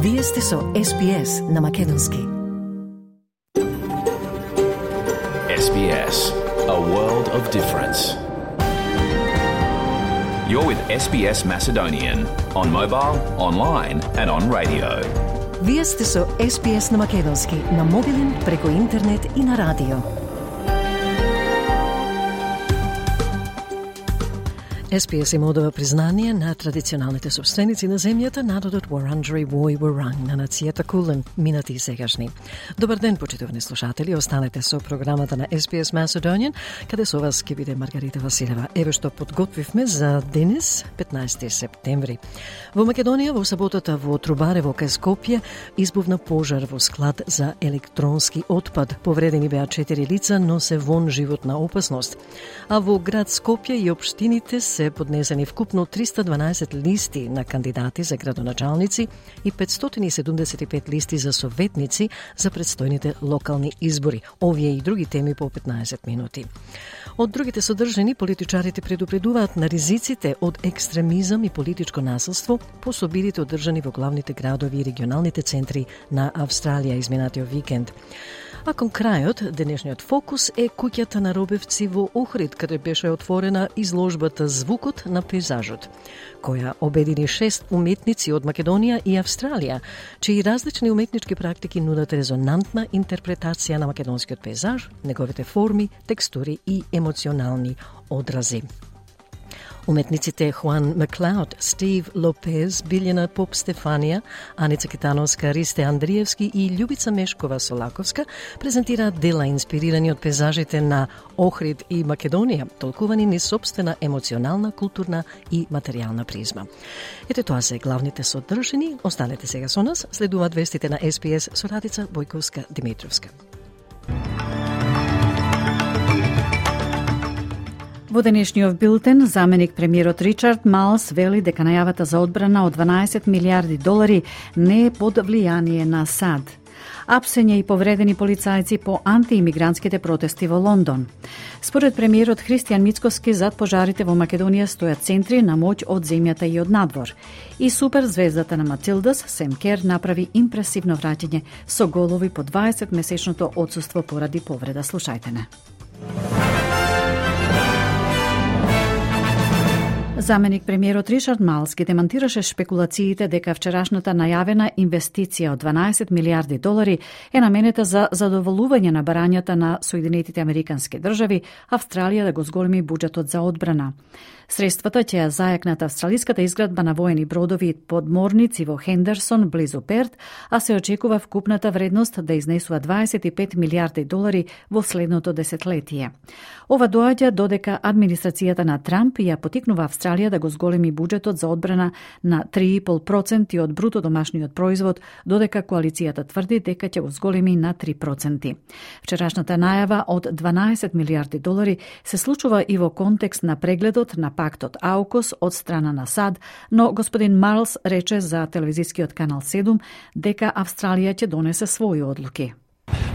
Вие сте со SBS на македонски. SBS, a world of difference. You're with SBS Macedonian on mobile, online and on radio. Вие сте со SBS на македонски на мобилен, преку интернет и на радио. SBS им одава признание на традиционалните собственици на земјата, народот Wurundjeri Woi Wurrung на нацијата Кулен, минати и сегашни. Добар ден, почитувани слушатели, останете со програмата на SBS Macedonian, каде со вас ќе биде Маргарита Василева. Еве што подготвивме за денес, 15 септември. Во Македонија, во саботата во Трубарево кај Скопје, избувна пожар во склад за електронски отпад. Повредени беа 4 лица, но се вон животна опасност. А во град Скопје и општините се поднесени вкупно 312 листи на кандидати за градоначалници и 575 листи за советници за предстојните локални избори. Овие и други теми по 15 минути. Од другите содржини, политичарите предупредуваат на ризиците од екстремизам и политичко насилство по собирите одржани во главните градови и регионалните центри на Австралија изминатиот викенд. А кон крајот, денешниот фокус е куќата на Робевци во Охрид, каде беше отворена изложбата Звукот на пейзажот, која обедини 6 уметници од Македонија и Австралија, чии различни уметнички практики нудат резонантна интерпретација на македонскиот пейзаж, неговите форми, текстури и емоционални одрази. Уметниците Хуан Маклауд, Стив Лопез, Билјана Поп Стефанија, Аница Китановска, Ристе Андриевски и Љубица Мешкова Солаковска презентираат дела инспирирани од пейзажите на Охрид и Македонија, толкувани низ собствена емоционална, културна и материјална призма. Ете тоа се главните содржини. Останете сега со нас, следуваат вестите на SBS со Радица Бојковска-Димитровска. Во денешниот билтен, заменик премиерот Ричард Малс вели дека најавата за одбрана од 12 милиарди долари не е под влијание на САД. Апсење и повредени полицајци по антиимигрантските протести во Лондон. Според премиерот Христијан Мицкоски, зад пожарите во Македонија стојат центри на моќ од земјата и од надвор. И суперзвездата на Матилдас, Сем Кер, направи импресивно враќање со голови по 20-месечното отсуство поради повреда. Слушајте не. Заменик премиерот Ричард Малс ги демантираше шпекулациите дека вчерашната најавена инвестиција од 12 милиарди долари е наменета за задоволување на барањата на Соединетите Американски држави, Австралија да го зголеми буџетот за одбрана. Средствата ќе ја зајакнат австралиската изградба на воени бродови и подморници во Хендерсон, близу Перт, а се очекува вкупната вредност да изнесува 25 милиарди долари во следното десетлетие. Ова доаѓа додека администрацијата на Трамп ја потикнува Австралија да го зголеми буџетот за одбрана на 3,5% од бруто домашниот производ, додека коалицијата тврди дека ќе го зголеми на 3%. Вчерашната најава од 12 милиарди долари се случува и во контекст на прегледот на пактот АУКУС од страна на САД, но господин Марлс рече за телевизискиот канал 7 дека Австралија ќе донесе своји одлуки.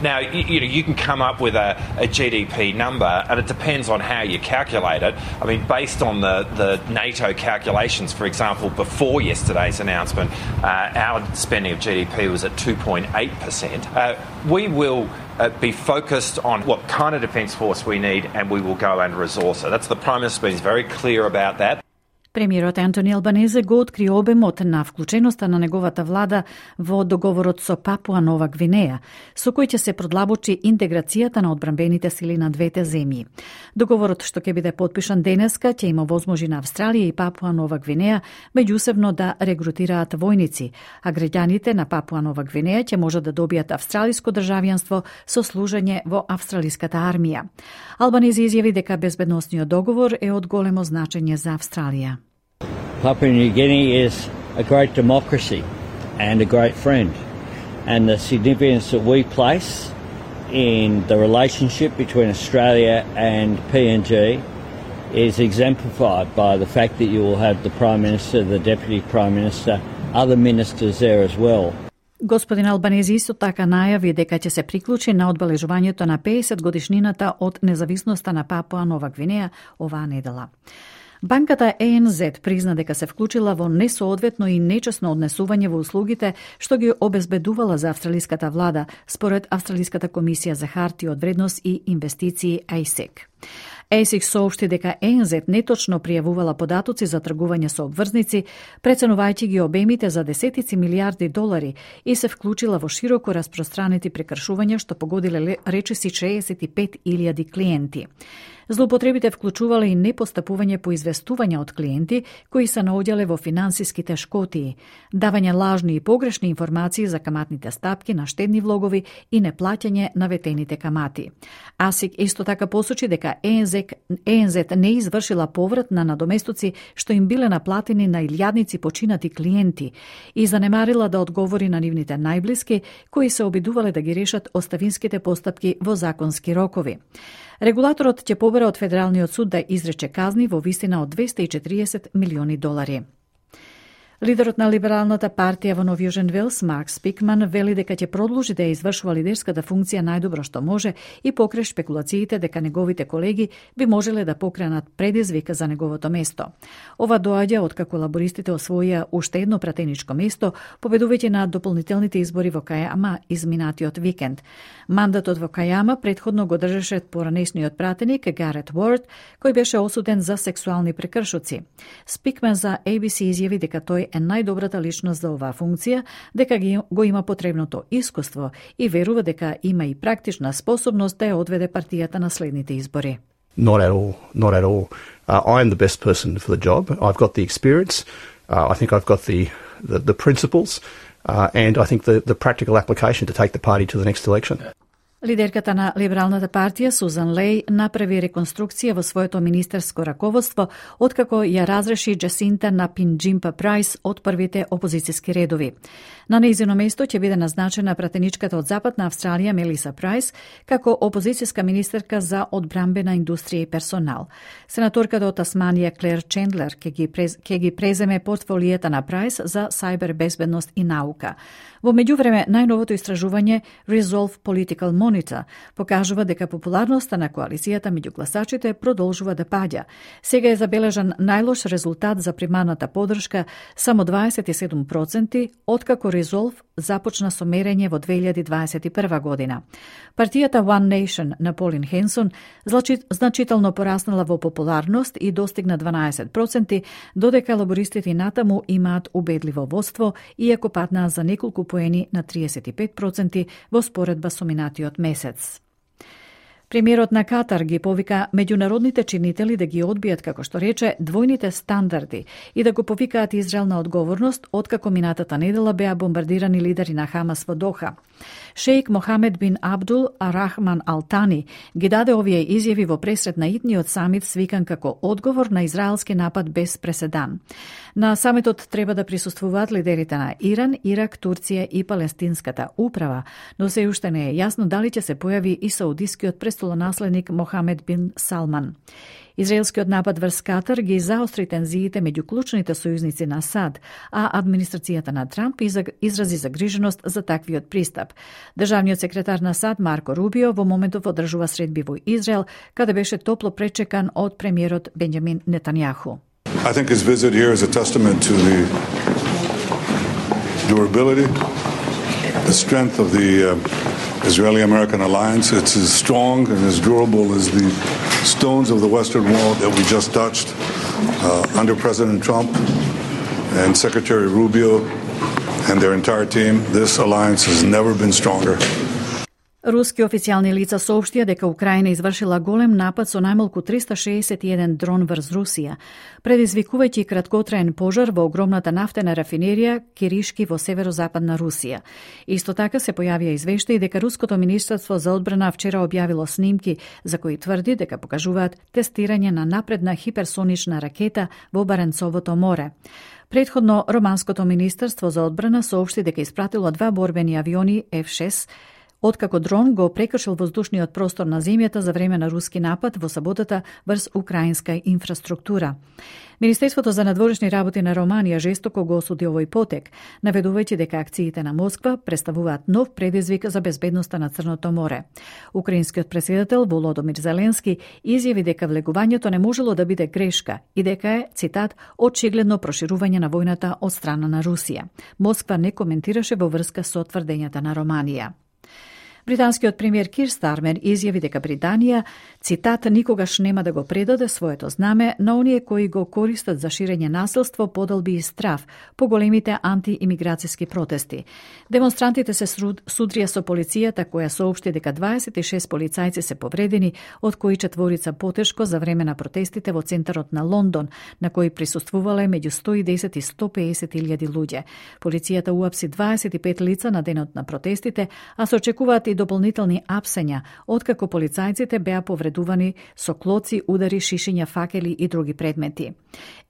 Now, you can come up with a GDP number, and it depends on how you calculate it. I mean, based on the NATO calculations, for example, before yesterday's announcement, our spending of GDP was at 2.8%. We will be focused on what kind of defence force we need, and we will go and resource it. That's the Prime Minister's been very clear about that. Премиерот Антони Албанезе го откри обемот на вклученоста на неговата влада во договорот со Папуа Нова Гвинеја, со кој ќе се продлабочи интеграцијата на одбранбените сили на двете земји. Договорот што ќе биде потпишан денеска ќе има возможи на Австралија и Папуа Нова Гвинеја меѓусебно да регрутираат војници, а граѓаните на Папуа Нова Гвинеја ќе можат да добијат австралиско државјанство со служење во австралиската армија. Албанезе изјави дека безбедносниот договор е од големо значење за Австралија. Papua New Guinea is a great democracy and a great friend, and the significance that we place in the relationship between Australia and PNG is exemplified by the fact that you will have the Prime Minister, the Deputy Prime Minister, other ministers there as well. Господин Албанези исто така најави дека ќе се приклучи на одбележувањето на 50 годишнината од независноста на Папуа Нова Гвинеја оваа недела. Банката ANZ призна дека се вклучила во несоодветно и нечесно однесување во услугите што ги обезбедувала за австралиската влада, според Австралиската комисија за хартии од вредност и инвестиции ASIC. ASIC соопшти дека ANZ неточно пријавувала податоци за тргување со обврзници, преценувајќи ги обемите за десетици милиарди долари и се вклучила во широко распространети прекршувања што погодиле речиси 65.000 клиенти. Злоупотребите вклучувале и непостапување по известување од клиенти кои се наоѓале во финансиските шкотии, давање лажни и погрешни информации за каматните стапки на штедни влогови и неплаќање на ветените камати. ASIC исто така посочи дека ANZ не извршила поврат на надоместоци што им биле наплатени на илјадници починати клиенти и занемарила да одговори на нивните најблиски кои се обидувале да ги решат оставинските постапки во законски рокови. Регулаторот ќе побера од Федералниот суд да изрече казни во висина од 240 милиони долари. Лидерот на Либералната партија во Нов Јужен Велс, Марк Спикман, вели дека ќе продолжи да ја извршува лидерската функција најдобро што може и покрај шпекулациите дека неговите колеги би можеле да покренат предизвик за неговото место. Ова доаѓа откако лабористите освоија уште едно пратеничко место, победувајќи на дополнителните избори во Кајама изминатиот викенд. Мандатот во Кајама претходно го држеше поранешниот пратеник Гарет Уорд, кој беше осуден за сексуални прекршоци. Спикман за ABC изјави дека тој е најдобрата личност за оваа функција, дека го има потребното искуство и верува дека има и практична способност да ја одведе партијата на следните избори. Not at all. I am the best person for the job. I've got the experience. I think I've got the principles, and I think the practical application to take the party to the next election. Лидерката на Либералната партија Сузан Леј направи реконструкција во своето министерско раководство откако ја разреши Джасинта Напинџимпа Прайс од првите опозицијски редови. На нејзино место ќе биде назначена пратеничката од Западна Австралија Мелиса Прайс како опозицијска министерка за одбрамбена индустрија и персонал. Сенаторката од Тасманија Клер Чендлер ќе ги преземе портфолијата на Прайс за сајбер безбедност и наука. Во меѓувреме, најновото истражување Resolve Political Monitor покажува дека популарноста на коалицијата меѓу гласачите продолжува да паѓа. Сега е забележан најлош резултат за примарната поддршка, само 27%, откако Resolve започна со мерење во 2021 година. Партијата One Nation на Полин Хенсон значително пораснала во популарност и достигна 12%, додека лабористите натаму имаат убедливо водство, иако паднаа за неколку поени на 35% во споредба со минатиот месец. Премиерот на Катар ги повика меѓународните чинители да ги одбијат, како што рече, двојните стандарди и да го повикаат Израел на одговорност, откако минатата недела беа бомбардирани лидери на Хамас во Доха. Шејк Мохамед бин Абдул Рахман Алтани ги даде овие изјави во пресред на итниот самит свикан како одговор на израелски напад без преседан. На самитот треба да присуствуваат лидерите на Иран, Ирак, Турција и Палестинската управа, но се уште не е јасно дали ќе се појави и саудискиот престолонаследник Мохамед бин Салман. Израелскиот напад врз Катар ги заостри тензиите меѓу клучните сојузници на САД, а администрацијата на Трамп изрази загриженост за таквиот пристап. Државниот секретар на САД Марко Рубио во моментов одржува средби во Израел, каде беше топло пречекан од премиерот Бенџамин Нетањаху. I think his visit here is a testament to the durability, the strength of the Israeli-American alliance. It's as strong and as durable as the stones of the Western Wall that we just touched under President Trump and Secretary Rubio and their entire team. This alliance has never been stronger. Руски официјални лица соопштија дека Украина извршила голем напад со најмалку 361 дрон врз Русија, предизвикувајќи краткотраен пожар во огромната нафтена рафинерија Киришки во северозападна Русија. Исто така се појавија извештаи дека Руското министерство за одбрана вчера објавило снимки за кои тврди дека покажуваат тестирање на напредна хиперсонична ракета во Баренцовото море. Предходно, Романското министерство за одбрана соопшти дека испратило 2 борбени авиони F-6 откако дрон го прекршил воздушниот простор на земјата за време на руски напад во саботата врз украинска инфраструктура. Министерството за надворешни работи на Романија жестоко го осуди овој потек, наведувајќи дека акциите на Москва представуваат нов предизвик за безбедноста на Црното море. Украинскиот претседател Володомир Зеленски изјави дека влегувањето не можело да биде грешка и дека е, цитат, очигледно проширување на војната од страна на Русија. Москва не коментираше во врска со тврдењата на Романија. Британскиот премиер Кир Стармер изјави дека Британија, цитат, никогаш нема да го предаде своето знаме на оние кои го користат за ширење насилство, подолби и страф по големите антиимиграцијски протести. Демонстрантите се судрија со полицијата која соопшти дека 26 полицајци се повредени, од кои 4 потешко за време на протестите во центарот на Лондон, на кои присуствувале меѓу 110 и 150 илјади луѓе. Полицијата уапси 25 лица на денот на протестите, а се очекуваат и дополнителни апсења, откако полицајците беа повредувани со клоци, удари, шишиња, факели и други предмети.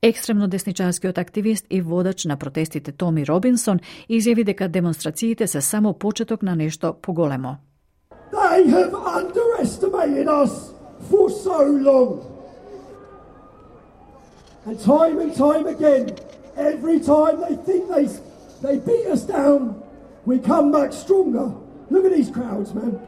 Екстремно десничарскиот активист и водач на протестите Томи Робинсон изјави дека демонстрациите се само почеток на нешто поголемо. They have underestimated us for so long. And time again, every time they think they beat us down, we come back stronger. Look at these crowds, man.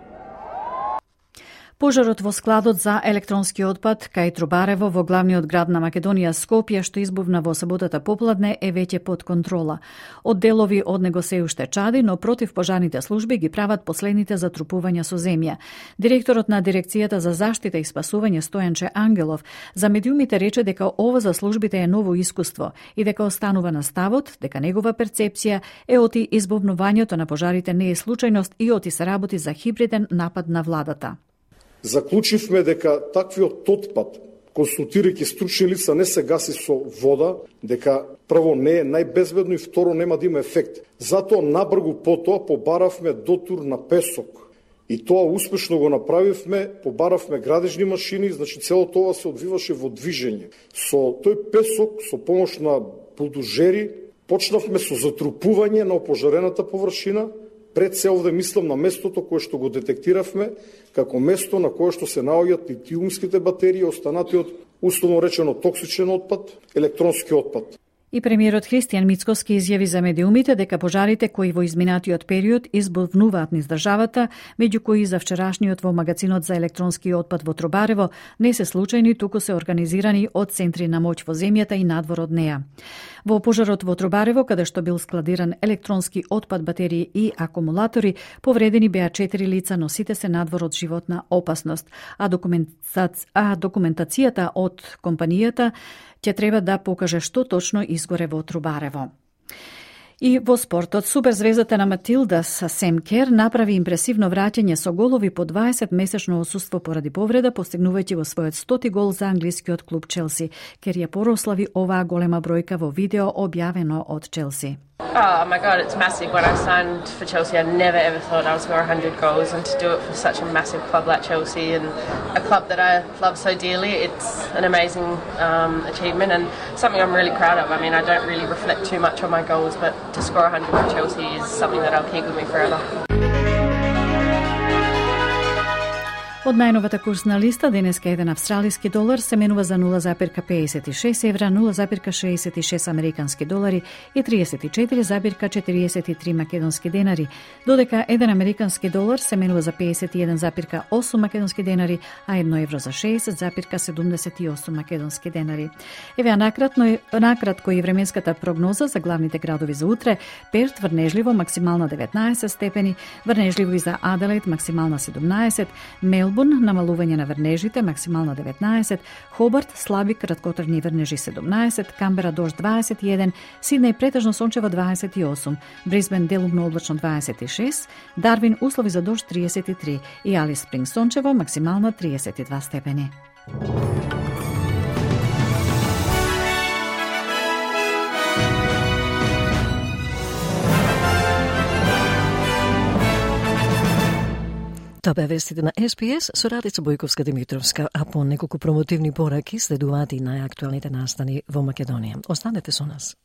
Пожарот во складот за електронски отпад кај Трубарево во главниот град на Македонија Скопје, што избувна во саботата попладне, е веќе под контрола. Одделови од него се уште чади, но противпожарните служби ги прават последните затрупувања со земја. Директорот на Дирекцијата за заштита и спасување Стојанче Ангелов за медиумите рече дека ова за службите е ново искуство и дека останува на ставот дека негова перцепција е оти избувнувањето на пожарите не е случајност и оти се работи за хибриден напад на владата. Заклучивме дека таквиот отпад, консултирајќи стручни лица, не се гаси со вода, дека прво не е најбезбедно и второ нема да има ефект. Затоа набргу потоа побаравме дотур на песок. И тоа успешно го направивме, побаравме градежни машини, значи цело тоа се одвиваше во движење. Со тој песок, со помош на булдозери, почнавме со затрупување на опожарената површина. Пред се овде мислам на местото кое што го детектиравме, како место на кое што се наоѓаат литиумските батерии, останатиот, условно речено, токсичен отпад, електронски отпад. И премиерот Христијан Мицкоски изјави за медиумите дека пожарите кои во изминатиот период избувнуваат низ државата, меѓу кои за вчерашниот во магазинот за електронски отпад во Трубарево, не се случајни, туку се организирани од центри на моќ во земјата и надвор од неа. Во пожарот во Трубарево, каде што бил складиран електронски отпад, батерии и акумулатори, повредени беа 4 лица, но сите се надвор од животна опасност, а документацијата од компанијата ќе треба да покаже што точно изгоре во Трубарево. И во спортот, суперзвездата на Матилдас Сем Кер направи импресивно враќање со голови по 20-месечно отсуство поради повреда, постигнувајќи го својот 100-ти гол за англискиот клуб Челси. Кер ја прослави оваа голема бројка во видео објавено од Челси. Oh my God, it's massive. When I signed for Chelsea, I never ever thought I would score 100 goals, and to do it for such a massive club like Chelsea and a club that I love so dearly, it's an amazing achievement and something I'm really proud of. I mean, I don't really reflect too much on my goals, but to score 100 for Chelsea is something that I'll keep with me forever. Од најновата курсна листа, денеска еден австралиски долар се менува за 0,56 евра, 0,66 американски долари и 34,43 македонски денари, додека еден американски долар се менува за 51,8 македонски денари, а 1 евро за 60,78 македонски денари. Еве накратко и временската прогноза за главните градови за утре: Перт врнежливо максимална 19 степени, врнежливо и за Аделаид максимална 17, Мелбурн намалување на врнежите, максимална 19, Хобарт слаби краткотрajни врнежи 17, Камбера дожд 21, Сиднеј претежно сончево 28, Брисбен делумно облачно 26, Дарвин услови за дожд 33 и Алис Спринг сончево максимална 32 степени. Тоа беа вестите на СПС со Радица Бојковска-Димитровска, а по неколку промотивни пораки следуваат и најактуелните настани во Македонија. Останете со нас.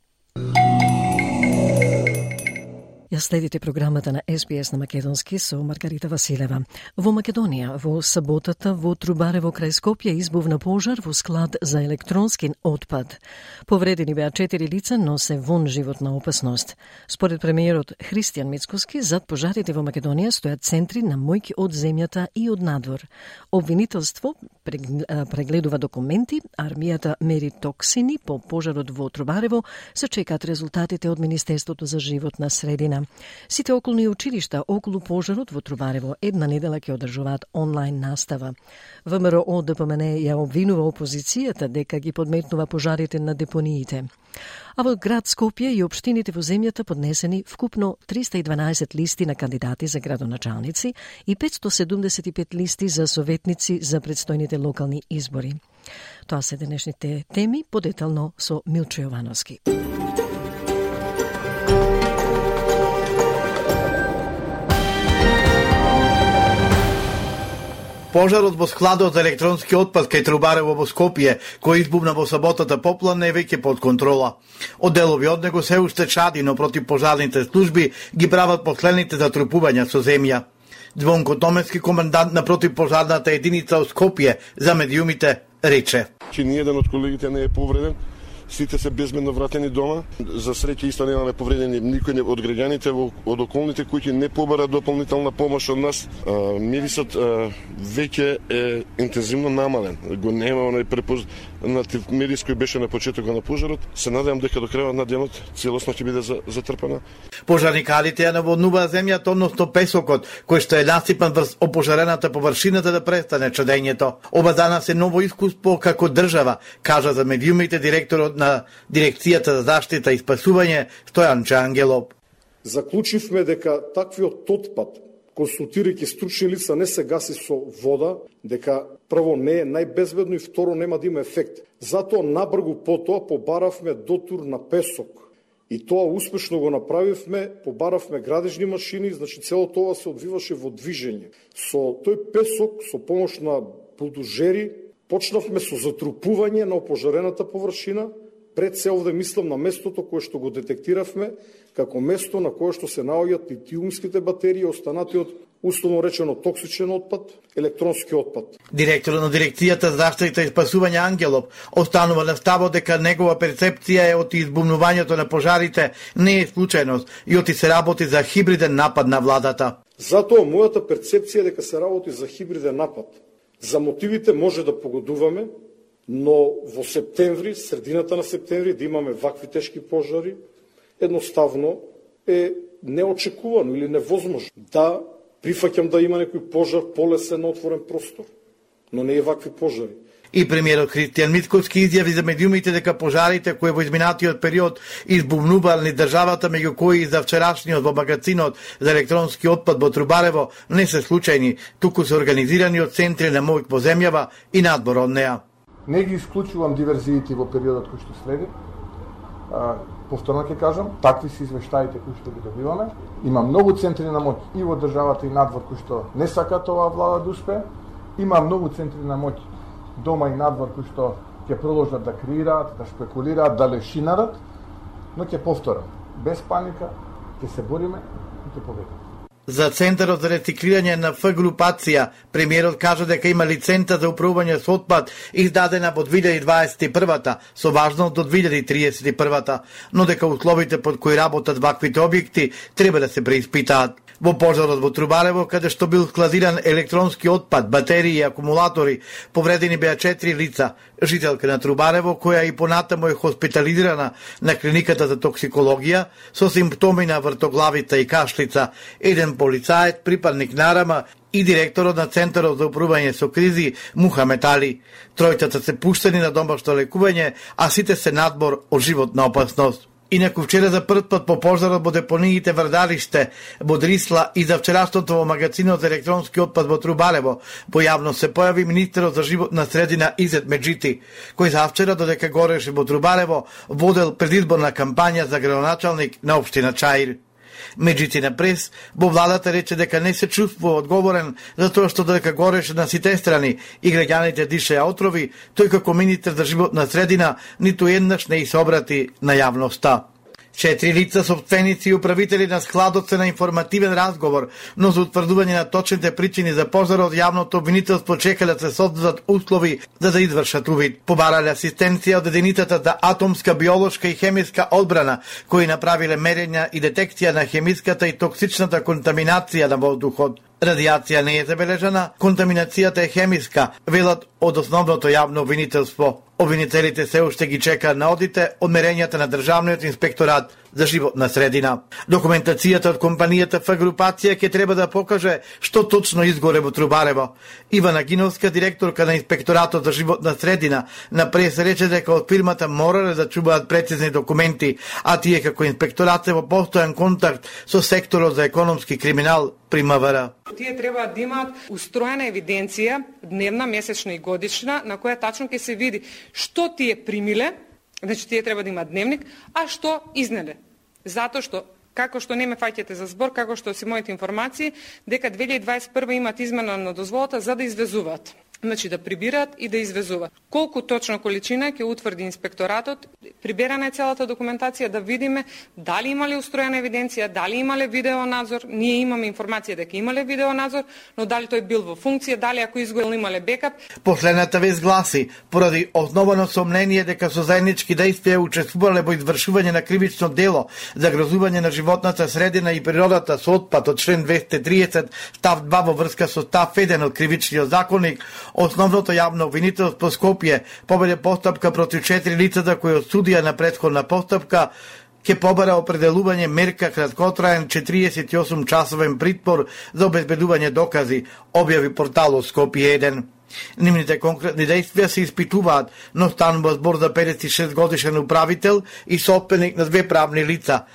Ја следите програмата на СПС на Македонски со Маргарита Василева. Во Македонија, во саботата во Трубарево крај Скопје избувна пожар во склад за електронски отпад. Повредени беа 4 лица, но се вон животна опасност. Според премиерот Христијан Мицкоски, зад пожарите во Македонија стојат центри на мојки од земјата и од надвор. Обвинителство прегледува документи, армијата мери токсини по пожарот во Трубарево, се чекаат резултатите од Министерството за животна средина. Сите околни училишта околу пожарот во Трубарево една недела ќе одржуваат онлайн настава. ВМРО ДПМН ја обвинува опозицијата дека ги подметнува пожарите на депониите. А во град Скопје и општините во земјата поднесени вкупно 312 листи на кандидати за градоначалници и 575 листи за советници за предстојните локални избори. Тоа се денешните теми, подетално со Милчо Јовановски. Пожарот во складот за електронски отпад кај Трубарево во Скопје, кој избувна во саботата попладне, е веќе под контрола. Одделови од него се уште чади, но противпожарните служби ги прават последните затрупувања со земја. Звонко Томенски, комендант на противпожарната единица од Скопје за медиумите, рече: Че ниеден од колегите не е повреден. Сите се безбедно вратени дома. За среќа исто немаме повредени никој од граѓаните од околните куќи не побара дополнителна помош од нас. Мирисот веќе е интензивно намален. Го нема оној препознат мирис кој беше на почетокот на пожарот. Се надевам дека до крајот на денот целосно ќе биде затрпана. Пожарникарите ја наводнуваат земјата, односно песокот, кој што е насипан врз опожарената површината да престане чадењето. Ова данас е ново искуство како држава, кажа за медиумите директорот на Дирекцијата за заштита и спасување Стојан Чангелов. Заклучивме дека таквиот отпад, консултирајќи стручни лица, не се гаси со вода, дека прво не е најбезбедно и второ нема да има ефект. Затоа набргу потоа побаравме дотур на песок. И тоа успешно го направивме, побаравме градежни машини, значи цело тоа се одвиваше во движење. Со тој песок, со помош на булдожери, почнавме со затрупување на опожарената површина. Пред се овде мислам на местото кое што го детектиравме, како место на кое што се наоѓаат литиумските батерии, останатиот условно речено токсичен отпад, електронски отпад. Директорот на Дирекцијата за заштита и спасување Ангелов останува на ставот дека негова перцепција е од избумнувањето на пожарите не е случајност и оти се работи за хибриден напад на владата. Затоа мојата перцепција е дека се работи за хибриден напад. За мотивите може да погодуваме, но во септември, средината на септември, да имаме вакви тешки пожари, едноставно е неочекувано или невозможно. Да, прифаќам да има некој пожар полесен на отворен простор, но не е вакви пожари. И премиерот Христијан Мицкоски изјави за медиумите дека пожарите кои во изминатиот период избувнувални државата, меѓу кои и за вчерашниот во магазинот за електронски отпад во Трубарево, не се случајни, туку се организирани од центри на мојк во земјава и надвор од неа. Не ги исклучувам диверзиите во периодот кој што следи. Повторно ќе кажам, такви се извештаите кои што ги добиваме. Има многу центри на моќ и во државата и надвор кои што не сакаат оваа влада да успее. Има многу центри на моќ дома и надвор кои што ќе продолжат да креираат, да шпекулираат, да лешинарат, но ќе повторам, без паника ќе се бориме и ќе победиме. За Центарот за рециклирање на Ф групација, премиерот кажа дека има лиценца за управување со отпад издадена во 2021-та, со важност до 2031-та, но дека условите под кои работат ваквите објекти треба да се преиспитаат. Во пожарот во Трубарево, каде што бил складиран електронски отпад, батерии и акумулатори, повредени беа 4 лица. Жителка на Трубарево, која и понатаму е хоспитализирана на клиниката за токсикологија со симптоми на вртоглавица и кашлица, еден полицаец, припадник на РМ и директорот на Центарот за управување со кризи Мухамед Али. Тројцата се пуштени на домашно лекување, а сите се надбор од животна опасност. Инаку вчера за прв пат по пожарот во депониите Врдариште, Бодрисла и за вчерашното во магазинот за електронски отпад во Трубарево, во јавност се појави министерот за животна средина Изет Меджити, кој за вчера додека гореше во Трубарево водел предизборна кампања за градоначалник на општина Чаир. Меджити на прес, во владата рече дека не се чувствува одговорен за тоа што додека гореше на сите страни и граѓаните дишеа отрови, тој како министер за животна средина ниту еднаш не се обрати на јавноста. 4 лица, собственици и управители на складот се на информативен разговор, но за утврдување на точните причини за пожарот јавното обвинителство чека да се создадат услови за да извршат увид. Побарале асистенција од единицата за атомска, биолошка и хемиска одбрана, кои направиле мерења и детекција на хемиската и токсичната контаминација на воздухот. Радиација не е забележана, контаминацијата е хемиска, велат од основното јавно обвинителство. Обвинителите се уште ги чекаат на одите од мерењата на Државниот инспекторат за животна средина. Документацијата од компанијата Ф групација ќе треба да покаже што точно изгоре во Трубарево. Ивана Гиновска, директорка на инспекторатот за животна средина, на прес рече дека од фирмата морале да чуваат прецизни документи, а тие како инспекторат се во постојан контакт со секторот за економски криминал при МВР. Тие треба да имаат устроена евиденција, дневна, месечна и годишна, на која тачно ќе се види што тие примиле, значи тие треба да имаат дневник, а што изнеле. Затоа што, како што не ме фаќате за збор, како што си моите информации, дека 2021 имат измена на дозволата за да извезуваат. Значи да прибираат и да извезуваат. Колку точно количина ќе утврди инспекторатот, приберана е целата документација да видиме дали имале устроена евиденција, дали имале видеонадзор. Ние имаме информација дека имале видеонадзор, но дали тој бил во функција, дали ако изгорел имале бекап. Последната вест гласи, поради основано сомнение дека со заеднички действија учествувале во извршување на кривично дело за грозување на животната средина и природата со отпад од член 230 став 2 во врска со став 1 од кривичниот законник, основното јавно обвинителство Скопје победе постапка против 4 лицата кои од судија на претходна постапка ќе побара определување мерка краткотраен 48 часовен притвор за обезбедување докази, објави порталот Скопје 1. Нивните конкретни действија се испитуваат, но станува збор за 56 годишен управител и собственик на 2 правни лица,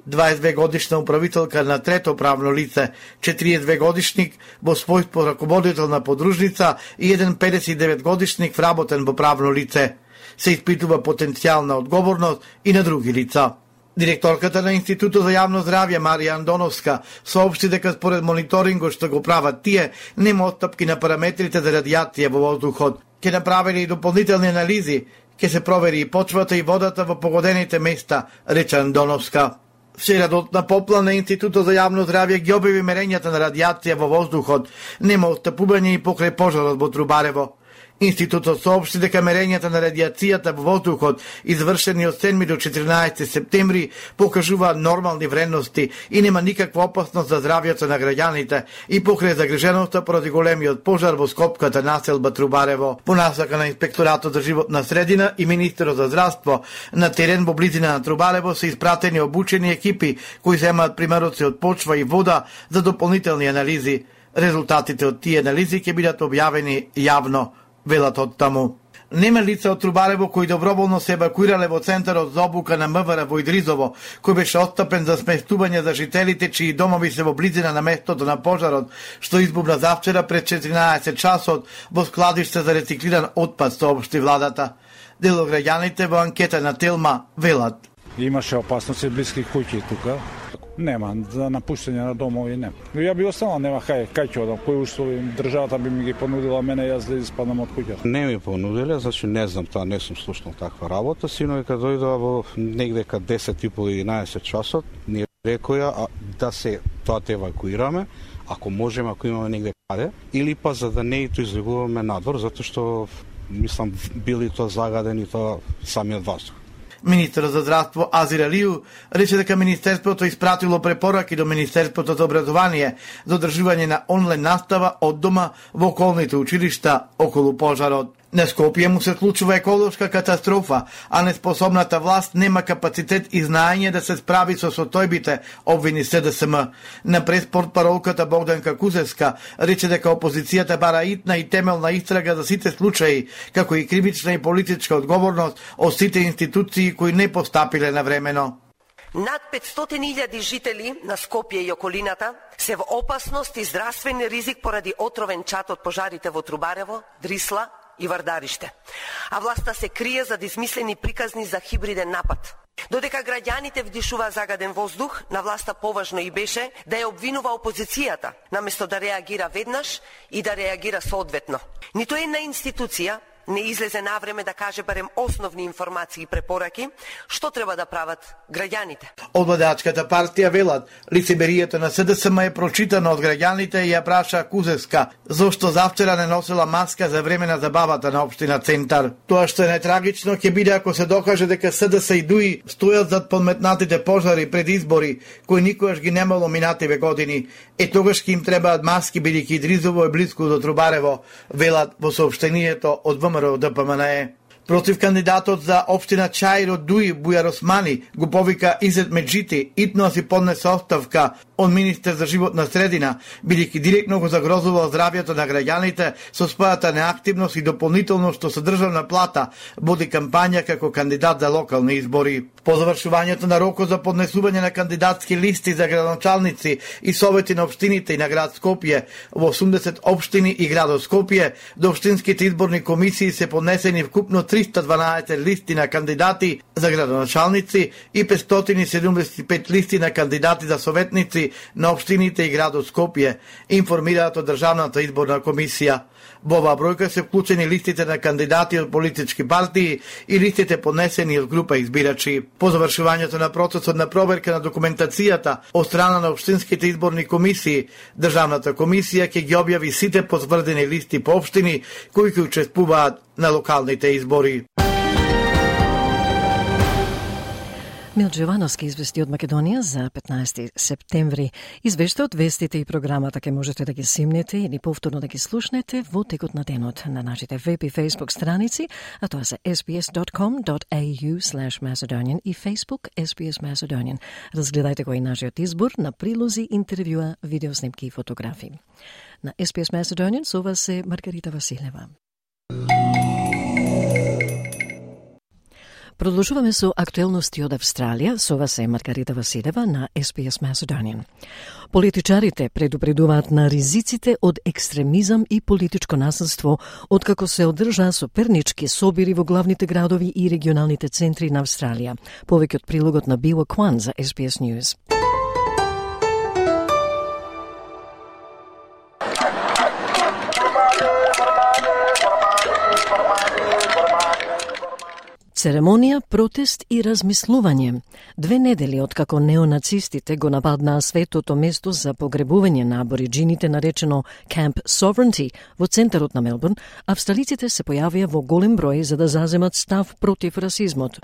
22 годишна управителка на трето правно лице, 42 годишник во својство раководител на подружница и еден 59 годишник вработен во правно лице. Се испитува потенцијална одговорност и на други лица. Директорката на Институтот за јавно здравје Марија Андоновска соопшти дека според мониторингот што го прават тие, нема отстапки на параметрите за радиација во воздухот. Ќе направени и дополнителни анализи, ќе се провери и почвата и водата во погодените места, рече Андоновска. Вчерадот на попла на Институтот за јавно здравје ги објави мерењата на радиација во воздухот. Нема отстапување и покрај пожарот во Трубарево. Институтот соопшти дека мерењата на радиацијата во воздухот, извршени од 7 до 14 септември, покажуваат нормални вредности и нема никаква опасност за здравјето на граѓаните и покрај загриженоста поради големиот пожар во скопската населба Трубарево. По насака на инспекторатот за животна средина и министерот за здравство, на терен во близина на Трубарево се испратени обучени екипи кои земаат примероци од почва и вода за дополнителни анализи. Резултатите од тие анализи ќе бидат објавени јавно, велат од таму. Нема лица од Трубарево кои доброволно се евакуирале во центарот за обука на МВР во Идризово, кој беше отстапен за сместување за жителите чии домови се во близина на местото на пожарот, што избувна завчера пред 14 часот во складиште за рециклиран отпад, соопшти владата. Дел од граѓаните во анкета на Телма велат. Имаше опасности блиски куќи тука. Нема, за напуштање на домови нема. Ја би останала, нема кај ќе одам, кои услови државата би ми ги понудила мене јас да испадам од куќата. Не ми понудиле, значи не знам, таа не сум слушнал таква работа, сино кога дојдоа во негде кај 10:30-11 часот, ни рекоја да се тоа те евакуираме, ако можеме, ако имаме негде каде, или па за да не ито излегуваме надвор, затоа што мислам били тоа загадени тоа самиот воздух. Министерот за здравство Азир Алију рече дека Министерството испратило препораки до Министерството за образование за одржување на онлайн настава од дома во околните училишта околу пожарот. На Скопје му се случува еколошка катастрофа, а неспособната власт нема капацитет и знаење да се справи со состојбите, обвини СДСМ. На преспортпаролката Богданка Кузевска рече дека опозицијата бара итна и темелна истрага за сите случаи, како и кривична и политичка одговорност од сите институции кои не постапиле навремено. Над 500.000 жители на Скопје и околината се во опасност и здравствен ризик поради отровен чад од пожарите во Трубарево, Дрисла и Вардариште. А власта се крие за измислени приказни за хибриден напад. Додека граѓаните вдишува загаден воздух, на власта поважно и беше да ја обвинува опозицијата, наместо да реагира веднаш и да реагира соодветно. Ниту една институција не излезе на време да каже барем основни информации и препораки, што треба да прават граѓаните. Од владеачката партија велат, лицемерието на СДСМ е прочитано од граѓаните и ја праша Кузевска, зошто завчера не носела маска за време на забавата на општина Центар. Тоа што е најтрагично ќе биде ако се докаже дека СДС и ДУИ стојат зад подметнатите пожари пред избори, кои никогаш ги немало минативе години. Тогаш ќе им требаат маски бидејќи Идризово е близко до Трубарево, велат во соопштението од ВМРО ДПМНЕ. Против кандидатот за општина Чаир од ДУИ Бујар Османи го повика Изет Меджити итно си поднесе оставка од министер за животна средина, бидејќи директно го загрозува здравјето на граѓаните со својата неактивност и дополнително што со државна плата води кампања како кандидат за локални избори. По завршувањето на рокот за поднесување на кандидатски листи за градоначалници и совети на општините и на град Скопје во 80 општини и градот Скопје, до општинските изборни комисии се поднесени вкупно 312 листи на кандидати за градоначалници и 575 листи на кандидати за советници на општините и градот Скопје, информираат од Државната изборна комисија. Во оваа бројка се вклучени листите на кандидати од политички партии и листите поднесени од група избирачи. По завршувањето на процесот на проверка на документацијата од страна на општинските изборни комисии, Државната комисија ќе ги објави сите потврдени листи по општини кои ќе учествуваат на локалните избори. Милчо Јовановски извести од Македонија за 15 септември. Извештаот, вестите и програмата ќе можете да ги симнете или повторно да ги слушнете во текот на денот на нашите веб и Facebook страници, а тоа се sbs.com.au/Macedonian и Facebook SBS Macedonian. Разгледајте го и нашиот избор на прилози, интервјуа, видеоснимки и фотографии. На SBS Macedonian со вас е Маргарита Василева. Продолжуваме со актуелности од Австралија. Со вас е Маргарита Василева на SBS Macedonian. Политичарите предупредуваат на ризиците од екстремизам и политичко насилство, откако се одржаа сопернички собири во главните градови и регионалните центри на Австралија. Повеќе од прилогот на Била Кван за SBS News. Церемонија, протест и размислување. 2 недели откако неонацистите го нападнаа светото место за погребување на абориджините наречено Camp Sovereignty во центарот на Мелбурн, австралиците се појавија во голем број за да заземат став против расизмот.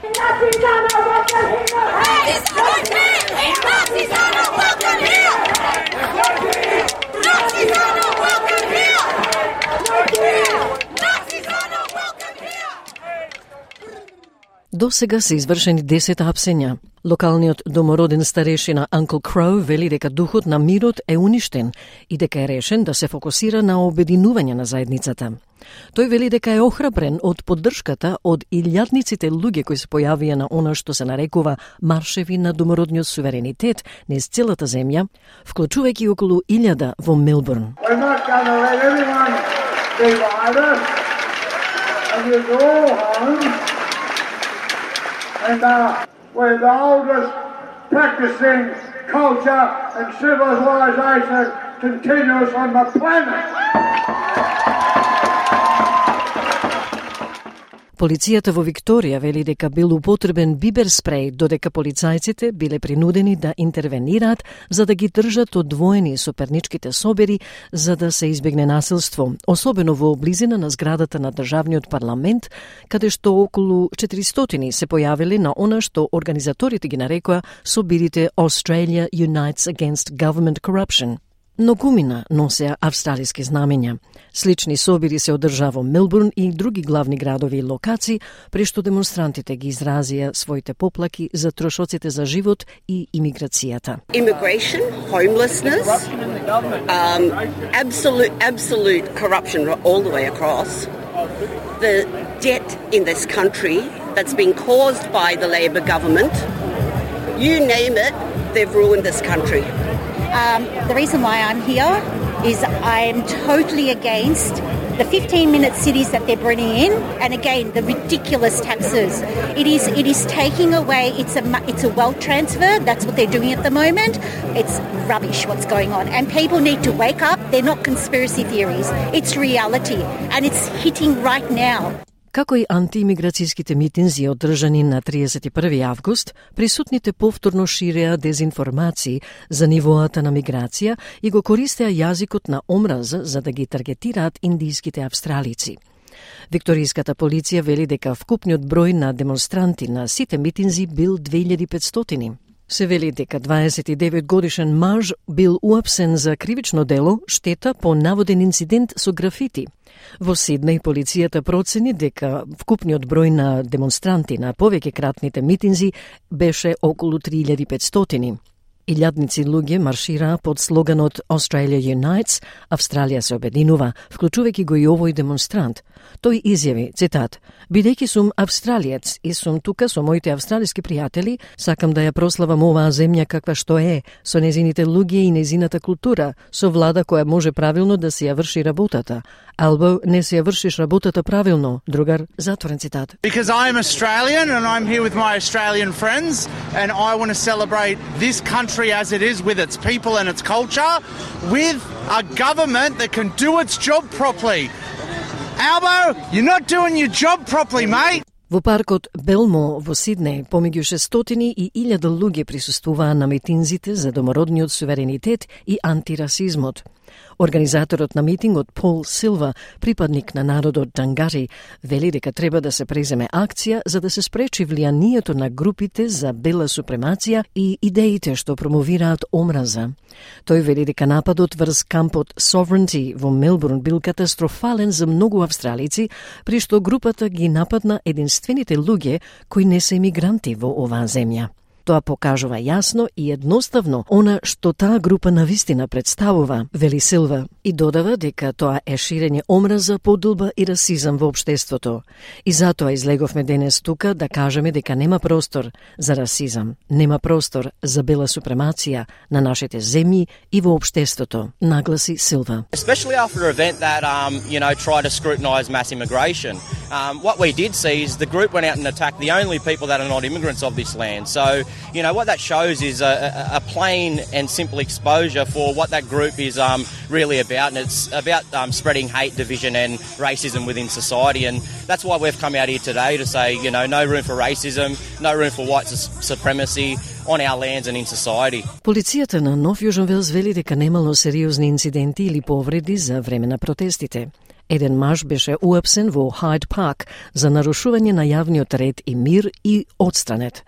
До сега се извршени 10 апсења. Локалниот домороден старешина Uncle Crow вели дека духот на мирот е уништен и дека е решен да се фокусира на обединување на заедницата. Тој вели дека е охрабрен од поддршката од илјадниците луѓе кои се појавија на она што се нарекува маршеви на домородниот суверенитет низ целата земја, вклучувајќи околу 1000 во Мелбурн. And we're the oldest practicing culture and civilization continues on the planet. Полицијата во Викторија вели дека бил употребен бибер спреј, додека полицајците биле принудени да интервенираат за да ги држат одвоени соперничките собери за да се избегне насилство, особено во близина на зградата на државниот парламент, каде што околу 400 се појавиле на она што организаторите ги нарекоа собирите Australia Unites Against Government Corruption. Многумина носеа австралиски знамења. Слични собири се одржаа во Мелбурн и други главни градови и локации, прешто демонстрантите ги изразија своите поплаки за трошоците за живот и имиграцијата. Immigration, homelessness, absolute corruption all the way across. The debt in this country that's been caused by the Labor government, you name it, they've ruined this country. The reason why I'm here is I'm totally against the 15-minute cities that they're bringing in, and again the ridiculous taxes. It is taking away. It's a wealth transfer. That's what they're doing at the moment. It's rubbish what's going on, and people need to wake up. They're not conspiracy theories. It's reality, and it's hitting right now. Како и антиимиграцијските митинзи одржани на 31. август, присутните повторно ширеа дезинформации за нивоата на миграција и го користеа јазикот на омраза за да ги таргетираат индиските австралици. Викторијската полиција вели дека вкупниот број на демонстранти на сите митинзи бил 2500. Се вели дека 29 годишен маж бил уапсен за кривично дело штета по наводен инцидент со графити. Во Сиднеј полицијата процени дека вкупниот број на демонстранти на повеќекратните митинзи беше околу 3500. Илјадници луѓе маршираа под слоганот Australia Unites, Австралија се обединува, вклучувајќи го и овој демонстрант. Тој изјави, цитат, бидејќи сум австралиец и сум тука со моите австралиски пријатели, сакам да ја прославам оваа земја каква што е, со незините луѓе и незината култура, со влада која може правилно да се ја врши работата. Албо не се ја вршиш работата правилно, другар, затворен цитат. Because I'm Australian and I'm here with my Australian friends and I want to celebrate this country as it is with its people and its culture with a government that can do its job properly. Albo, you're not doing your job properly, mate. Во паркот Белмо во Сиднеј помеѓу 600 и 1000 луѓе присуствуваа на митинзите за домородниот суверенитет и антирасизмот. Организаторот на митингот Пол Силва, припадник на народот Дангари, вели дека треба да се преземе акција за да се спречи влијанието на групите за бела супремација и идеите што промовираат омраза. Тој вели дека нападот врз кампот Sovereignty во Мелбурн бил катастрофален за многу австралици, при што групата ги нападна единствените луѓе кои не се имигранти во оваа земја. Тоа покажува јасно и едноставно она што таа група навистина представува, вели Силва, и додава дека тоа е ширење омраза, подолба и расизам во општеството. И затоа излеговме денес тука да кажеме дека нема простор за расизам, нема простор за бела супремација на нашите земји и во општеството, нагласи Силва. Especially after an event that tried to scrutinise mass immigration. What we did see is the group went out and attacked the only people that are not immigrants of this land. So what that shows is a plain and simple exposure for what that group is really about, and it's about spreading hate, division and racism within society, and that's why we've come out here today to say, no room for racism, no room for white supremacy on our lands and in society. Полицијата на Нов Јужен Велс вели дека немало сериозни инциденти или повреди за време на протестите. Еден маж беше уапсен во Хайд Парк за нарушување на јавниот ред и мир и одстранет.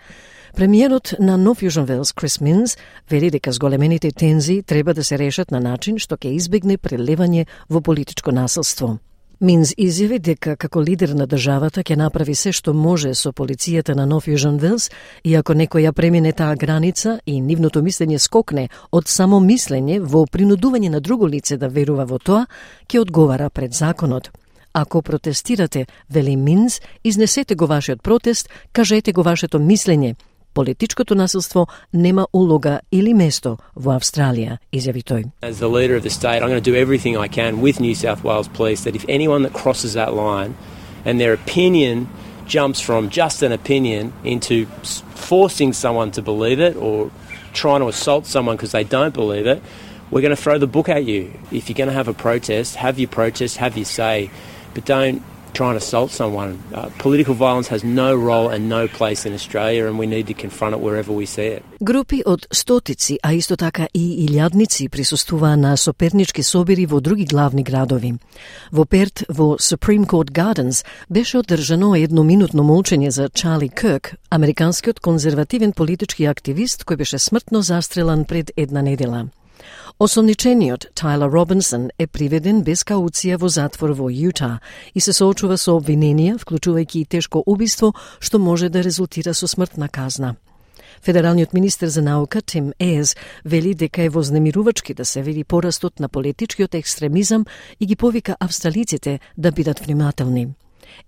Премиерот на Нов Јужен Велс, Крис Минс, вели дека зголемените тензии треба да се решат на начин што ќе избегне прелевање во политичко насилство. Минс изјави дека како лидер на државата ќе направи се што може со полицијата на Нов Јужен Велс и ако некој ја премине таа граница и нивното мислење скокне од само мислење во принудување на друго лице да верува во тоа, ќе одговара пред законот. Ако протестирате, вели Минс, изнесете го вашиот протест, кажете го вашето мислење. Политичкото насилство нема улога или место во Австралија, изјави тој. As the leader of the state, I'm going to do everything I can with New South Wales Police that if anyone that crosses that line and their opinion jumps from just an opinion into forcing someone to believe it or trying to assault someone because they don't believe it, we're going to throw the book at you. If you're going to have a protest, have your say, but don't try and assault someone. Political violence has no role and no place in Australia and we need to confront it wherever we see it. Групи од стотици, а исто така и илјадници присуствуваа на сопернички собири во други главни градови. Во Перт, во Supreme Court Gardens, беше одржано едноминутно молчење за Чарли Кирк, американскиот конзервативен политички активист кој беше смртно застрелан пред една недела. Осомничениот Тайлер Робинсон е приведен без кауција во затвор во Јута и се соочува со обвиненија, вклучувајќи и тешко убиство, што може да резултира со смртна казна. Федералниот министер за наука Тим Ез вели дека е вознемирувачки да се види порастот на политичкиот екстремизам и ги повика австралиците да бидат внимателни.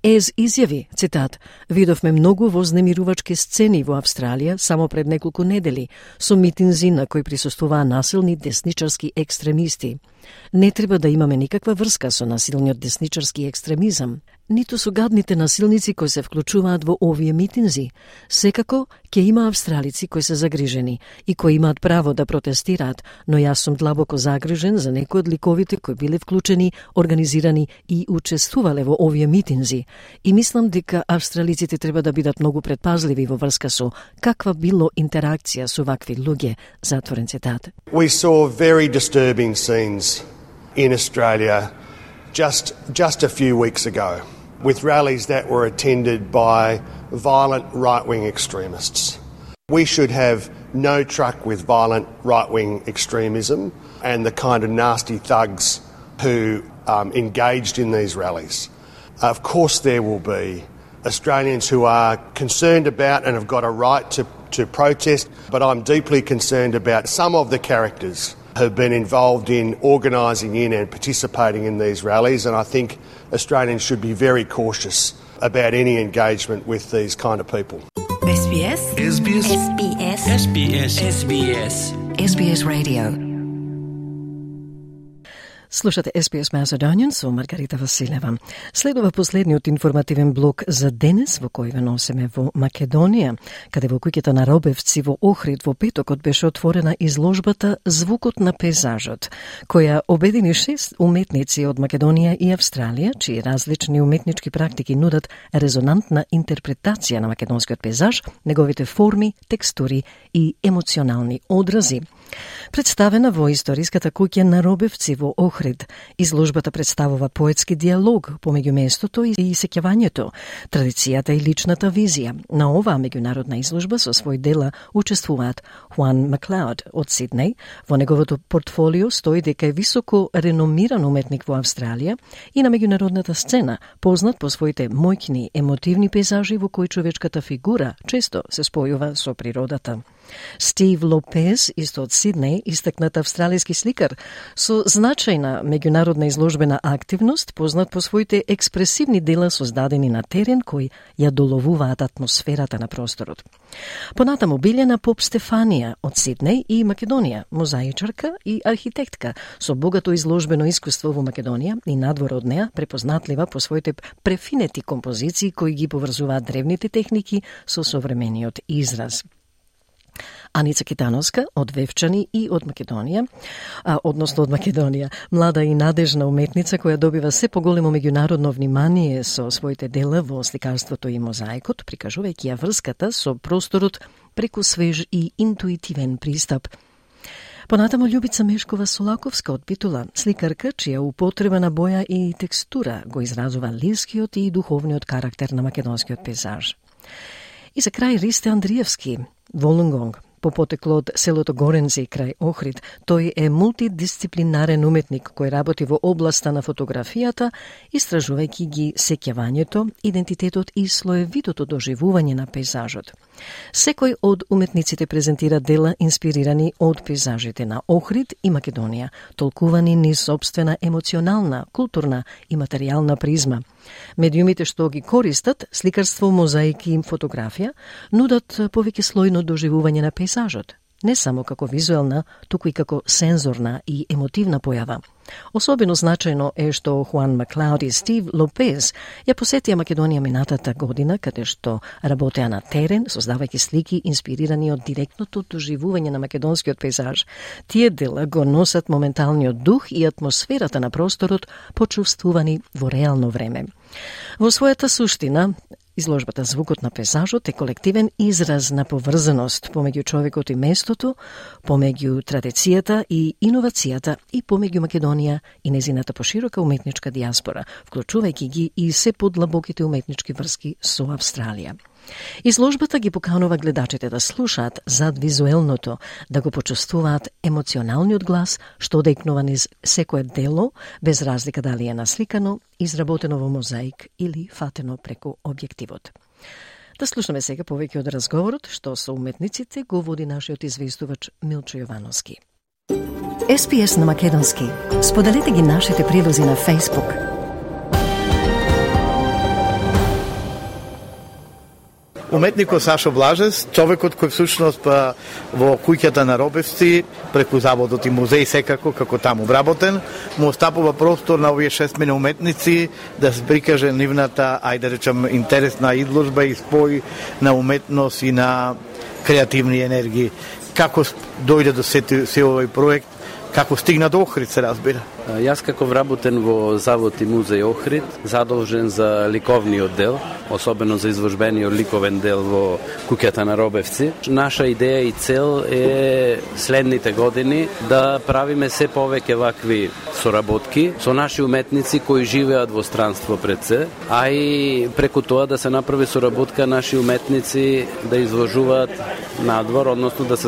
Ез изјави, цитат, видовме многу вознемирувачки сцени во Австралија само пред неколку недели, со митинзи на кои присуствуваа насилни десничарски екстремисти. Не треба да имаме никаква врска со насилниот десничарски екстремизам. ниту со гадните насилници кои се вклучуваат во овие митинзи. Секако, ќе има австралици кои се загрижени и кои имаат право да протестираат, но јас сум длабоко загрижен за некои од ликовите кои биле вклучени, организирани и учествувале во овие митинзи. И мислам дека австралиците треба да бидат многу предпазливи во врска со каква било интеракција со вакви луѓе, затворен цитат. We saw very disturbing scenes in Australia just a few weeks ago, with rallies that were attended by violent right-wing extremists. We should have no truck with violent right-wing extremism and the kind of nasty thugs who engaged in these rallies. Of course there will be Australians who are concerned about and have got a right to protest, but I'm deeply concerned about some of the characters who have been involved in organising in and participating in these rallies, and I think Australians should be very cautious about any engagement with these kind of people. SBS SBS SBS SBS SBS SBS Radio. Слушате SBS Macedonian со Маргарита Василева. Следува последниот информативен блок за денес во кој ве носиме во Македонија, каде во куќата на Робевци во Охрид во петокот беше отворена изложбата Звукот на пейзажот, која обедини 6 уметници од Македонија и Австралија, чии различни уметнички практики нудат резонантна интерпретација на македонскиот пейзаж, неговите форми, текстури и емоционални одрази. Представена во историската куќа на Робевци во Охрид, изложбата представува поетски диалог помеѓу местото и сеќавањето, традицијата и личната визија. На оваа меѓународна изложба со свој дела учествуваат Хуан Маклауд од Сиднеј. Во неговото портфолио стои дека е високо реномиран уметник во Австралија и на меѓународната сцена, познат по своите моќни, емотивни пейзажи во кои човечката фигура често се спојува со природата. Стив Лопез, исто од Сиднеј, истакнат австралијски сликар со значајна меѓународна изложбена активност, познат по своите експресивни дела создадени на терен кои ја доловуваат атмосферата на просторот. Понатаму Билјана Поп Стефанија од Сиднеј и Македонија, мозаичарка и архитектка со богато изложбено искуство во Македонија и надвор од неа, препознатлива по своите префинети композиции кои ги поврзуваат древните техники со современиот израз. Аница Китановска од Вевчани и од Македонија, од Македонија, млада и надежна уметница која добива се поголемо меѓународно внимание со своите дела во сликарството и мозаикот, прикажувајќи ја врската со просторот преку свеж и интуитивен пристап. Понатамо Љубица Мешкова Солаковска од Битула, сликарка чија употреба на боја и текстура го изразува лирскиот и духовниот карактер на македонскиот пейзаж. И за крај Ристе Андриевски, Волунгонг, по потекло од селото Горенци крај Охрид. Тој е мултидисциплинарен уметник кој работи во областа на фотографијата, истражувајќи ги сеќавањето, идентитетот и слоевитото доживување на пейзажот. Секој од уметниците презентира дела инспирирани од пейзажите на Охрид и Македонија, толкувани низ собствена емоционална, културна и материјална призма. Медиумите што ги користат, сликарство, мозаики и фотографија, нудат повеќе слојно доживување на пейзажот, не само како визуелна, туку и како сензорна и емотивна појава. Особено значајно е што Хуан Маклауд и Стив Лопез ја посетија Македонија минатата година, каде што работеа на терен, создавајќи слики инспирирани од директното доживување на македонскиот пейзаж. Тие дела го носат моменталниот дух и атмосферата на просторот, почувствувани во реално време. Во својата суштина, изложбата Звукот на пейзажот е колективен израз на поврзаност помеѓу човекот и местото, помеѓу традицијата и иновацијата и помеѓу Македонија и незината поширока уметничка диаспора, вклучувајќи ги и се подлабоките уметнички врски со Австралија. Изложбата ги поканува гледачите да слушаат зад визуелното, да го почувствуваат емоционалниот глас што одекнува низ секое дело, без разлика дали е насликано, изработено во мозаик или фатено преку објективот. Да слушаме сега повеќе од разговорот што со уметниците го води нашиот известувач Милчо Јовановски. SBS на македонски. Споделете ги нашите прилози на Facebook. Уметникот Сашо Блажес, човекот кој всушност во куќата на Робевци, преку заводот и музеј секако, како таму вработен, му остапува простор на овие 6 уметници да се прикаже нивната, ајде да речем, интересна изложба и спој на уметност и на креативни енергии. Како дојде до се овој проект? Како стигна до Охрид, се разбира? Јас како вработен во Завод и музеј Охрид, задолжен за ликовниот дел, особено за изложбениот ликовен дел во куќата на Робевци. Наша идеја и цел е следните години да правиме се повеќе вакви соработки со наши уметници кои живеат во странство пред се, а и преку тоа да се направи соработка наши уметници да изложуваат надвор, односно да се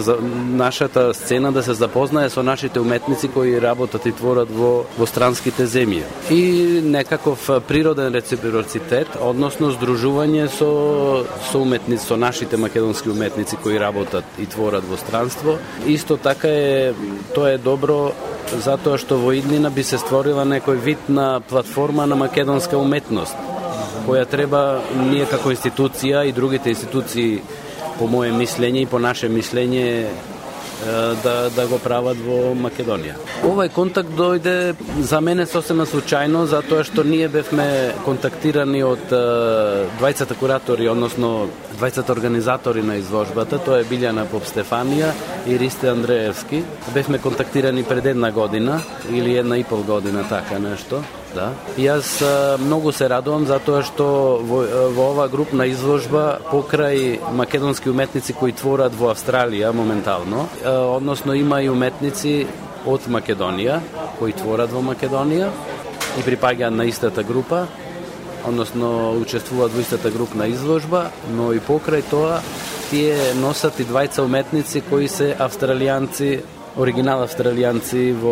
нашата сцена да се запознае со нашите уметници кои работат и творат во странските земји. И некаков природен реципроцитет, односно здружување со уметници, со нашите македонски уметници кои работат и творат во странство. Исто така тоа е добро затоа што во иднина би се створила некој вид на платформа на македонска уметност, која треба ние како институција и другите институции, по моје мислење и по наше мислење, да го прават во Македонија. Овој контакт дојде за мене сосема случајно, затоа што ние бевме контактирани од двајцата куратори, односно двајцата организатори на изложбата, тоа е Билјана Попстефанија и Ристе Андреевски. Бевме контактирани пред 1 година или 1,5 година, така нешто. Да. И јас многу се радувам затоа што во ова групна изложба покрај македонски уметници кои творат во Австралија моментално, односно има и уметници од Македонија кои творат во Македонија и припаѓаат на истата група, односно учествуваат во истата групна изложба, но и покрај тоа тие носат и двајца уметници кои се австралијанци, оригинал австралијанци во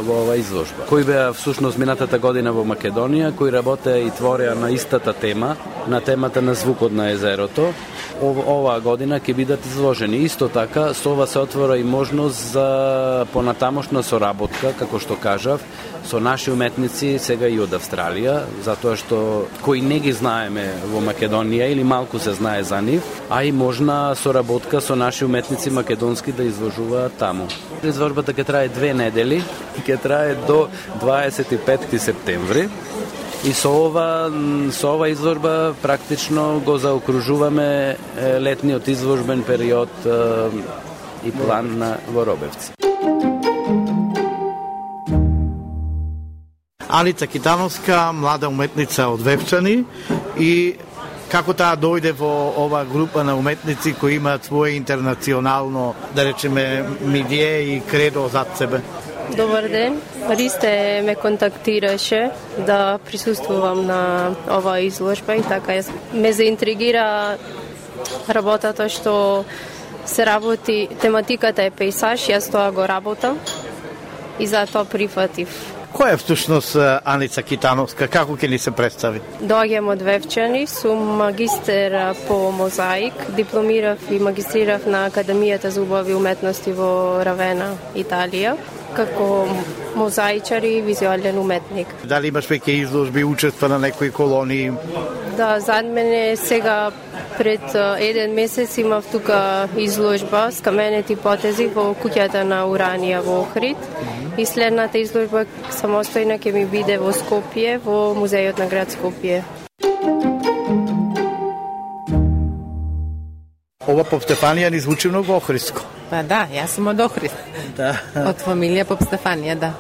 оваа изложба, кои беа всушност минатата година во Македонија, кои работеа и твореа на истата тема, на темата на звукот на езерото. Оваа година ќе бидат изложени. Исто така, со ова се отвора и можност за понатамошна соработка, како што кажав, со наши уметници сега и од Австралија, затоа што кои не ги знаеме во Македонија или малку се знае за нив, а и можна соработка со наши уметници македонски да изложуваат таму. Изложбата ќе трае 2 недели и ќе трае до 25 септември. И со ова изложба практично го заокружуваме летниот изложбен период и план во Робевци. Аница Китановска, млада уметница од Вевчани, и како таа дојде во ова група на уметници кои имаат своје интернационално, да речеме, милие и кредо зад себе? Добар ден. Ристе ме контактираше да присуствувам на оваа изложба и така ме заинтригира работата што се работи, тематиката е пейсаж, јас тоа го работам и затоа прифатив. Која е всушност Аница Китановска? Како ќе ни се представи? Доаѓам од Вевчани, сум магистер по мозаик, дипломирав и магистрирав на Академијата за убави уметности во Равена, Италија, како мозаичар и визуален уметник. Дали имаш веќе изложби, учества на некои колонии? Да, зад мене сега пред 1 месец имав тука изложба с каменети потези во куќата на Уранија во Охрид. И следната изложба самостојна ќе ми биде во Скопје, во музејот на град Скопје. Ова Попстефанија ни звучи многу охридско. Па да, јас сум од Охрид. Да. Од фамилија Попстефанија, да.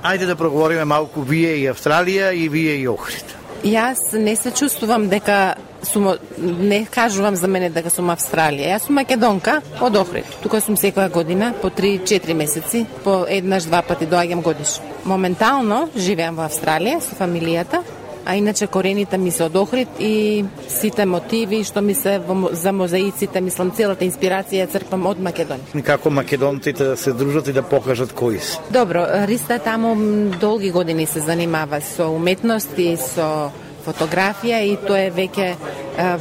Ајде да проговориме малку вие и Австралија и вие и Охрид. Јас не се чувствувам дека сум, не кажувам за мене дека сум Австралија. Јас сум македонка од Охрид. Тука сум секоја година, по 3-4 месеци, по 1-2 пати доаѓам годишно. Моментално живеам во Австралија со фамилијата, а иначе корените ми се од Охрид и сите мотиви што ми се за мозаиците, мислам, целата инспирација црпам од Македонија. Како македонците да се дружат и да покажат кои се? Добро, Риста таму долги години се занимава со уметност и со фотографија и тоа е веќе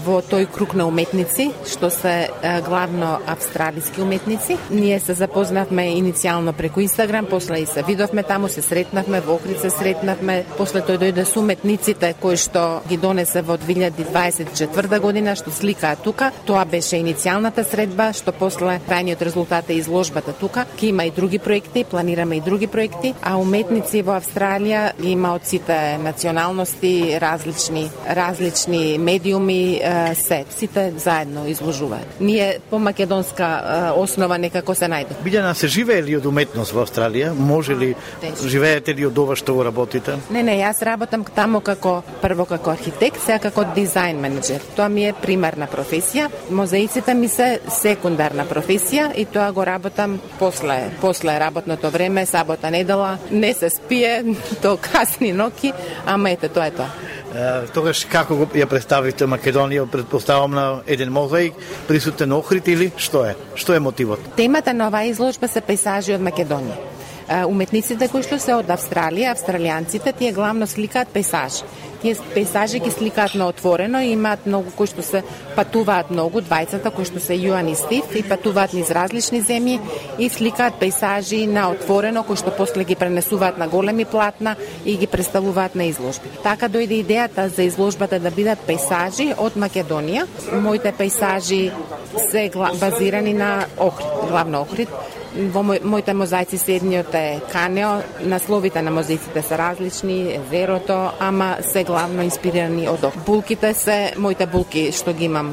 во тој круг на уметници, што се главно австралиски уметници. Ние се запознавме иницијално преку Инстаграм, после и се видовме таму, се сретнавме, во Охрид се сретнавме, после тој дојде со уметниците кои што ги донесе во 2024 година, што сликаат тука. Тоа беше иницијалната средба, што после крајниот резултат е изложбата тука. Ке има и други проекти, планираме и други проекти, а уметници во Австралија има од сите националности, различни медиуми, сите заедно изложуваат. Ние по македонска основа некако се најде. Билјана, се живее ли од уметност во Австралија? Може ли, живеете ли од ова што го работите? Не, јас работам таму прво како архитект, сега како дизајн менеджер. Тоа ми е примарна професија. Мозаиците ми се секундарна професија и тоа го работам после работното време, сабота, недела. Не се спие до касни ноќи, ама ете, тоа е тоа. Тогаш како ја представите Македонија, предпоставам на еден мозаик, присутен Охрид или што е? Што е мотивот? Темата на оваа изложба се пейзажи од Македонија. Уметниците кои што се од Австралија, австралијанците, тие главно сликаат пейзажи. Тие пейзажи ги сликаат на отворено, имаат многу кои што се патуваат многу, двајцата кои што се Јоан и Стив, и патуваат низ различни земји и сликаат пейзажи на отворено кои што после ги пренесуваат на големи платна и ги представуваат на изложби. Така дојде идејата за изложбата да бидат пейзажи од Македонија. Моите пейзажи се базирани на Охрид, главно Охрид. Во моите мозаици седниот е Канео, насловите на мозаиците се различни, езерото, ама се главно инспирирани од Охрид. Булките се моите булки што ги имам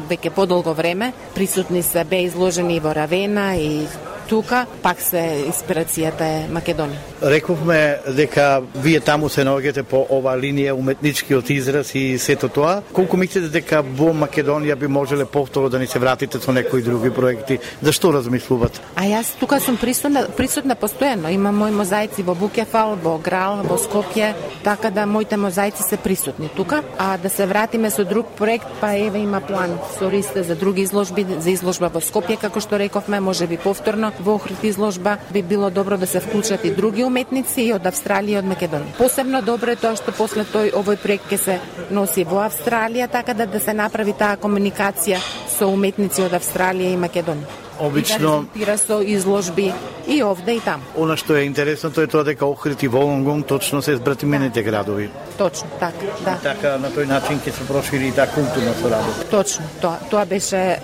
веќе подолго време, присутни се, бе изложени во Равена и тука, пак се инспирацијата е Македонија. Рековме дека вие таму се наоѓате по ова линија уметничкиот израз и сето тоа. Колку мислите дека во Македонија би можеле повторно да ни се вратите со некои други проекти? Зашто размислувате? А јас тука сум присутна постојано. Имам мои мозаици во Букефал, во Грал, во Скопје, така да моите мозаици се присутни тука. А да се вратиме со друг проект, па еве има план со Ристе за други изложби, за изложба во Скопје, како што рековме, можеби повторно. Во Охрид изложба би било добро да се вклучат и други уметници и од Австралија и од Македонија. Посебно добро е тоа што после овој проект ќе се носи во Австралија, така да се направи таа комуникација со уметници од Австралија и Македонија. Обично и да резултира со изложби и овде и таму. Она што е интересно тоа е тоа дека Охрид и Волонгонг точно се збратимените градови. Точно, така, да. И така на тој начин ќе се прошири и таа културна соработа. Точно, тоа беше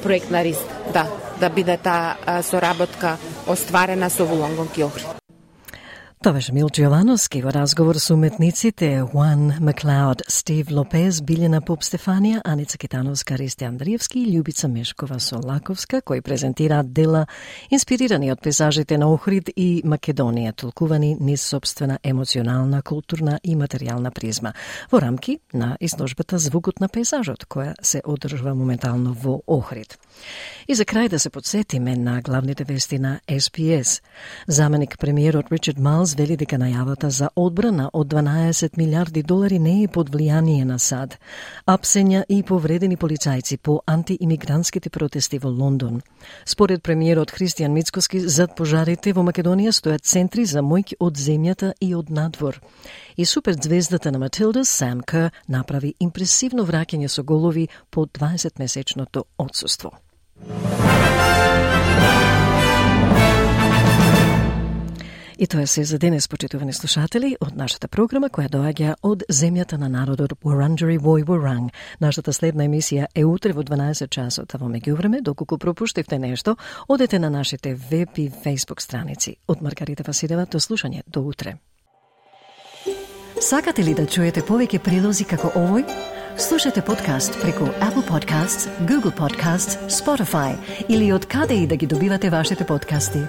проект на Рист, да биде таа соработка остварена со Волонгонг и Охрид. Тоа беше Милчо Јовановски во разговор со уметниците Juan McLeod, Стив Лопез, Билјана Поп-Стефанија, Аница Китановска, Ристи Андриевски и Љубица Мешкова-Солаковска, кои презентираат дела инспирирани од пейзажите на Охрид и Македонија, толкувани низ собствена емоционална, културна и материјална призма, во рамки на изложбата Звукот на пейзажот, која се одржува моментално во Охрид. И за крај да се подсетиме на главните вести на SPS. Заменик премиерот Ричард Малс вели дека најавата за одбрана од 12 милиарди долари не е под влијание на САД. Апсења и повредени полицајци по антиимигрантските протести во Лондон. Според премиерот Христијан Мицкоски, зад пожарите во Македонија стојат центри за моќ од земјата и од надвор. И суперзвездата на Матилда, Сам Кер, направи импресивно враќање со голови по 20-месечното отсуство. И тоа се за денес, почитувани слушатели, од нашата програма која доаѓа од земјата на народот Wurundjeri Woi Wurrung. Нашата следна емисија е утре во 12 часот, а во меѓувреме, доколку пропуштивте нешто, одете на нашите веб и фейсбук страници. Од Маргарита Василева, до слушање, до утре. Сакате ли да чуете повеќе прилози како овој? Слушате подкаст преку Apple Podcasts, Google Podcasts, Spotify или од каде и да ги добивате вашите подкасти.